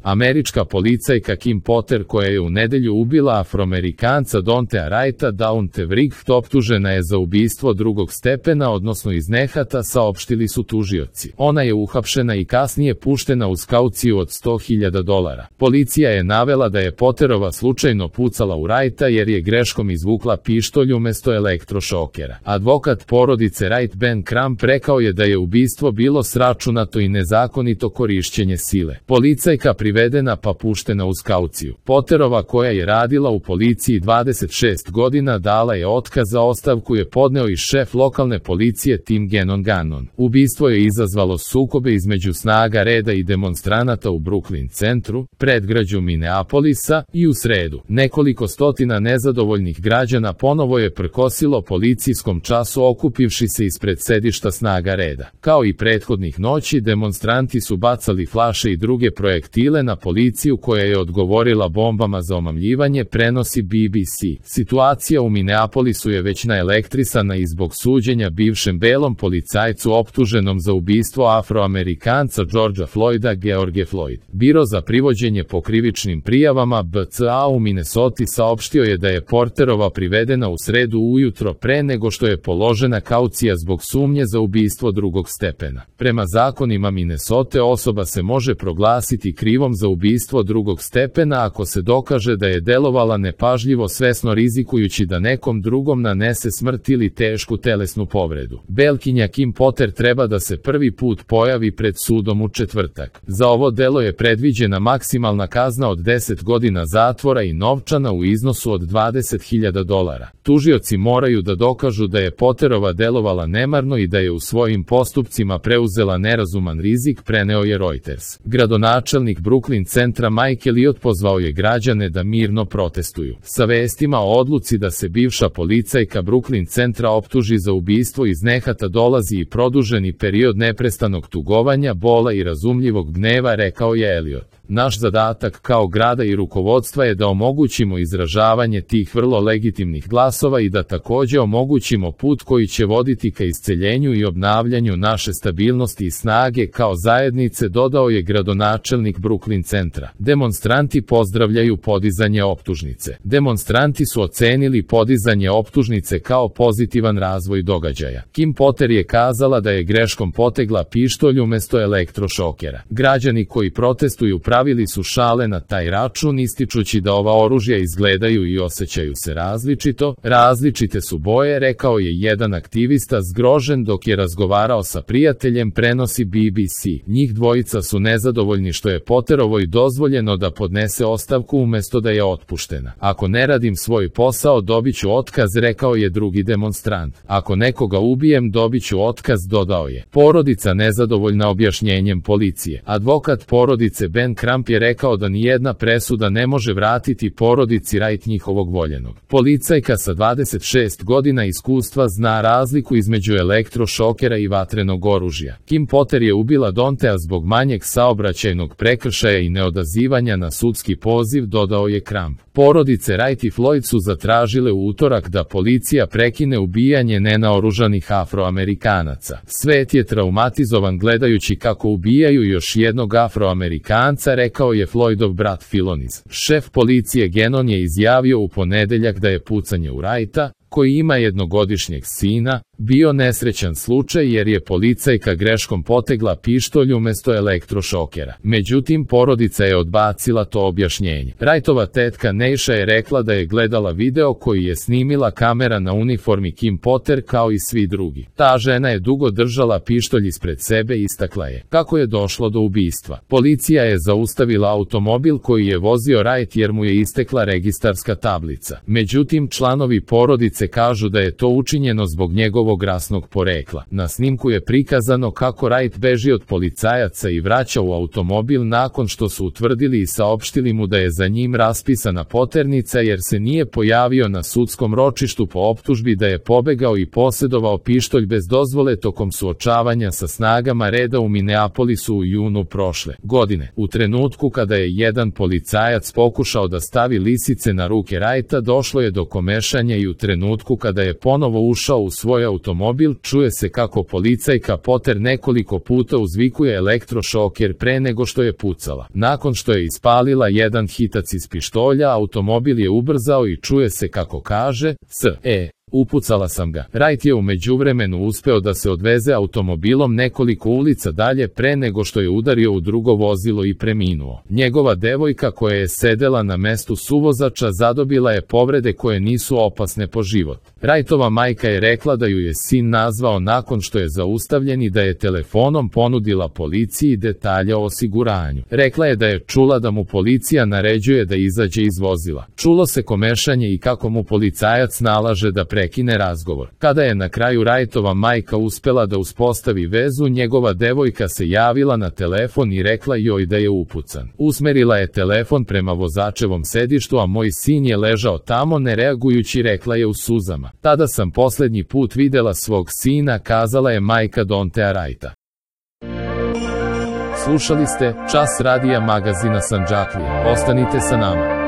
Američka policajka Kim Potter, koja je u nedelju ubila Afroamerikanca Dontea Wrighta Daunte Wright, optužena je za ubistvo drugog stepena, odnosno iz nehata, saopštili su tužioci. Ona je uhapšena i kasnije puštena uz kauciju od $100.000. Policija je navela da je Potterova slučajno pucala u Wrighta jer je greškom izvukla pištolj umesto elektrošokera. Advokat porodice Wright Ben Crump rekao je da je ubistvo bilo sračunato i nezakonito korišćenje sile. Policajka privedena pa puštena uz kauciju. Potterova, koja je radila u policiji 26 godina, dala je otkaz, za ostavku je podneo i šef lokalne policije Tim Gannon. Ubistvo je izazvalo sukobe između snaga reda i demonstranata u Brooklyn centru, predgrađu Minneapolisa, i u sredu nekoliko stotina nezadovoljnih građana ponovo je prkosilo policijskom času okupivši se ispred sedišta snaga reda. Kao i prethodnih noći, demonstranti su bacali flaše i druge projektile na policiju, koja je odgovorila bombama za omamljivanje, prenosi BBC. Situacija u Minneapolisu je već naelektrisana i zbog suđenja bivšem belom policajcu optuženom za ubistvo Afroamerikanca Georgea Floyda George Floyd. Biro za privođenje po krivičnim prijavama BCA u Minnesoti saopštio je da je Porterova privedena u sredu ujutro pre nego što je položena kaucija zbog sumnje za ubistvo drugog stepena. Prema zakonima Minnesote, osoba se može proglasiti krivom za ubistvo drugog stepena ako se dokaže da je delovala nepažljivo, svesno rizikujući da nekom drugom nanese smrt ili tešku telesnu povredu. Belkinja Kim Potter treba da se prvi put pojavi pred sudom u četvrtak. Za ovo delo je predviđena maksimalna kazna od 10 godina zatvora i novčana u iznosu od $20.000. Tužioci moraju da dokažu da je Potterova delovala nemarno i da je u svojim postupcima preuzela nerazuman rizik, preneo je Reuters. Gradonačelnik Brooklyn centra Mike Elliott pozvao je građane da mirno protestuju. Sa vestima o odluci da se bivša policajka Brooklyn centra optuži za ubistvo iz nehata dolazi i produženi period neprestanog tugovanja, bola i razumljivog gneva, rekao je Elliott. Naš zadatak kao grada i rukovodstva je da omogućimo izražavanje tih vrlo legitimnih glasova i da takođe omogućimo put koji će voditi ka isceljenju i obnavljanju naše stabilnosti i snage kao zajednice, dodao je gradonačelnik Brooklyn centra. Demonstranti pozdravljaju podizanje optužnice. Demonstranti su ocenili podizanje optužnice kao pozitivan razvoj događaja. Kim Potter je kazala da je greškom potegla pištolj umesto elektrošokera. Građani koji protestuju pravili su šale na taj račun, ističući da ova oružja izgledaju i osjećaju se različito. Različite su boje, rekao je jedan aktivista zgrožen dok je razgovarao sa prijateljem, prenosi BBC. Njih dvojica su nezadovoljni što je Potterovoj dozvoljeno da podnese ostavku umesto da je otpuštena. Ako ne radim svoj posao, dobit ću otkaz, rekao je drugi demonstrant. Ako nekoga ubijem, dobit ću otkaz, dodao je. Porodica nezadovoljna objašnjenjem policije. Advokat porodice Ben Crump je rekao da nijedna presuda ne može vratiti porodici Wright njihovog voljenog. Policajka sa 26 godina iskustva zna razliku između elektrošokera i vatrenog oružja. Kim Potter je ubila Dontea zbog manjeg saobraćajnog prekršaja i neodazivanja na sudski poziv, dodao je Crump. Porodice Wright i Floyd su zatražile u utorak da policija prekine ubijanje nenaoružanih Afroamerikanaca. Svet je traumatizovan gledajući kako ubijaju još jednog Afroamerikanca, rekao je Floydov brat Philonis. Šef policije Gannon je izjavio u ponedeljak da je pucanje u Wrighta, koji ima jednogodišnjeg sina, bio nesrećan slučaj jer je policajka greškom potegla pištolj umesto elektrošokera. Međutim, porodica je odbacila to objašnjenje. Wrightova tetka Neisha je rekla da je gledala video koji je snimila kamera na uniformi Kim Potter kao i svi drugi. Ta žena je dugo držala pištolj ispred sebe i istakla je kako je došlo do ubistva. Policija je zaustavila automobil koji je vozio Wright jer mu je istekla registarska tablica. Međutim, članovi porodice kažu da je to učinjeno zbog njegovog rasnog porekla. Na snimku je prikazano kako Wright beži od policajaca i vraća u automobil nakon što su utvrdili i saopštili mu da je za njim raspisana poternica jer se nije pojavio na sudskom ročištu po optužbi da je pobegao i posedovao pištolj bez dozvole tokom suočavanja sa snagama reda u Minneapolisu u junu prošle godine. U trenutku kada je jedan policajac pokušao da stavi lisice na ruke Wrighta, došlo je do komešanja i u trenutku kada je ponovo ušao u svoj automobil, automobil, čuje se kako policajka Potter nekoliko puta uzvikuje elektrošoker pre nego što je pucala. Nakon što je ispalila jedan hitac iz pištolja, automobil je ubrzao i čuje se kako kaže, upucala sam ga. Wright je u međuvremenu uspeo da se odveze automobilom nekoliko ulica dalje pre nego što je udario u drugo vozilo i preminuo. Njegova devojka koja je sedela na mestu suvozača zadobila je povrede koje nisu opasne po život. Wrightova majka je rekla da ju je sin nazvao nakon što je zaustavljen i da je telefonom ponudila policiji detalje o osiguranju. Rekla je da je čula da mu policija naređuje da izađe iz vozila. Čulo se komešanje i kako mu policajac nalaže da prekine razgovor. Kada je na kraju Wrightova majka uspela da uspostavi vezu, njegova devojka se javila na telefon i rekla joj da je upucan. Usmerila je telefon prema vozačevom sedištu, a moj sin je ležao tamo ne reagujući, rekla je u suzama. Tada sam poslednji put videla svog sina, kazala je majka Dontea Wrighta. Slušali ste Čas radija magazina Sandžaklija. Ostanite sa nama.